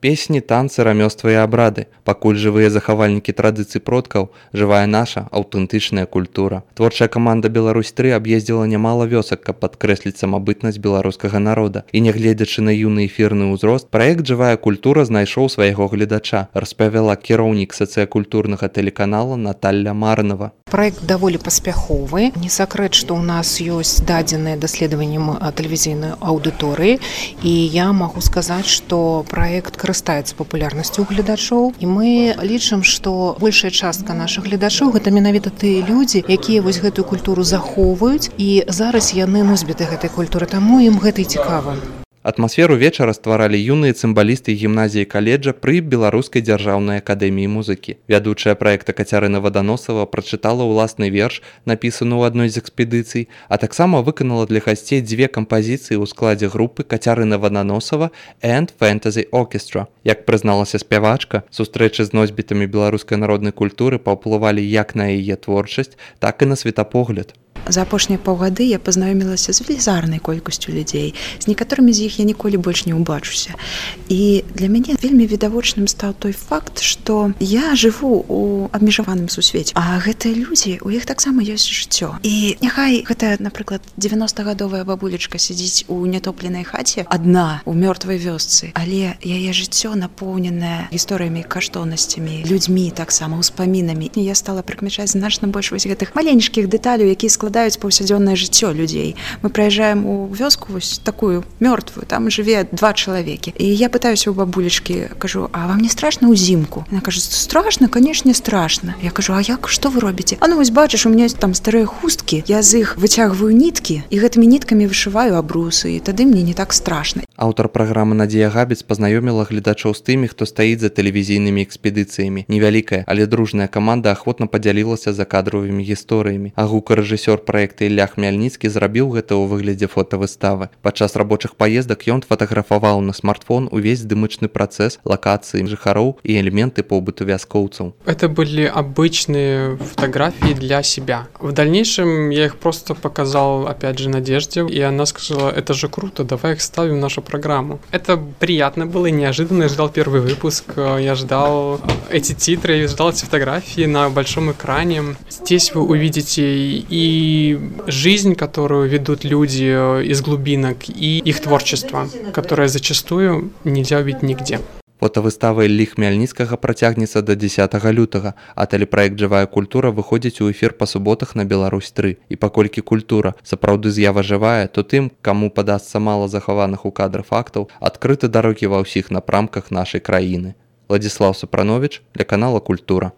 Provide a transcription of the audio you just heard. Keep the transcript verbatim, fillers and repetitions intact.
Песні, танцы, рамёствы і абрады. Пакуль жывыя захавальнікі традыцый продкаў, жывая наша аўтэнтычная культура. Творчая каманда Беларусь тры аб'ездзіла нямала вёсак, каб падкрэсліць самабытнасць беларускага народа. І нягледзячы на юны эфірны ўзрост, праект «Жывая культура» знайшоў свайго гледача, распавяла кіраўнік сацыякультурнага тэлеканала Наталья Марнова. Проект даволі паспяховы. Не сакрэт, што ў нас ёсць дадзеныя даследаваннем тэлевізійнай аўдыторыі, і я магу сказаць, што праект карыстаецца папулярнасцю ў гледачоў, і мы лічым, што большая частка нашых гледачоў гэта менавіта тыя людзі, якія вось гэтую культуру захоўваюць, і зараз яны носьбіты гэтай культуры, таму ім гэта і цікава. Атмасферу вечара стваралі юныя цымбалісты гімназіі каледжа пры Беларускай дзяржаўнай акадэміі музыкі. Вядучая праекта Кацярына Ваданосава прачытала ўласны верш, напісаны ў адной з экспедыцый, а таксама выканала для гасцей дзве кампазіцыі ў складзе групы Кацярына Ваданосава and Fantasy Orchestra. Як прызналася спявачка, сустрэчы з носьбітамі беларускай народнай культуры паўплывалі як на яе творчасць, так і на светапогляд. За апошнія паўгады я пазнаёмілася з велізарнай колькасцю людзей. З некаторымі з іх я ніколі больш не ўбачуся. І для мяне вельмі відавочным стаў той факт, што я жыву у абмежаваным сусвеце. А гэтыя людзі, у іх таксама ёсць жыццё. І няхай гэта, напрыклад, дзевяностагадовая бабулечка сядзіць у нятопленай хаце адна ў мёртвай вёсцы, але яе жыццё напоўненае гісторыямі, каштоўнасцямі, людзьмі таксама, успамінамі. І я стала прыкмячаць значна больш вось гэтых маленечкіх дэталяў, якія складаюць складаюць паўсядзённае жыццё людзей. Мы прыязджаем у вёску вось такую мёртвую, там жыве два чалавекі. І я пытаюся ў бабулечкі, кажу: "А вам не страшна ўзімку?" Яна кажа: "Страшна, канешне, страшна". Я кажу: "А як, што вы робіце?" "А ну вось бачыш, у мяне там старыя хусткі, я з іх выцягваю ніткі і гэтымі ніткамі вышываю абрусы, і тады мне не так страшна". Аўтар праграмы Надзея Габец пазнаёміла гледачоў з тымі, хто стаіць за тэлевізійнымі экспедыцыямі. Невялікая, але дружная каманда ахвотна падзялілася закадравымі гісторыямі. А гукарэжысёр праекта Ілля Хмяльніцкі зрабіў гэта ў выглядзе фотавыставы. Падчас рабочых паездак ён фатаграфаваў на смартфон увесь здымачны працэс, лакацыі жыхароў і элементы побыту вяскоўцаў. Это были обычные фотографии для себя. В дальнейшем я их просто показал, опять же, Надежде, и она сказала: "Это же круто, давай их ставим в нашу программу". Это приятно было и неожиданно. Я ждал первый выпуск, я ждал эти титры, я ждал эти фотографии на большом экране. Здесь вы увидите и жизнь, которую ведут люди из глубинок, и их творчество, которое зачастую нельзя увидеть нигде. Фотавыстава Іллі Хмяльніцкага працягнецца да дзесятага лютага, а тэлепраект «Жывая культура» выходзіць у эфір па суботах на Беларусь тры. І паколькі культура сапраўды з'ява жывая, то тым, каму падасца мала захаваных у кадры фактаў, адкрыты дарогі ва ўсіх напрамках нашай краіны. Владзіслаў Сапрановіч для канала «Культура».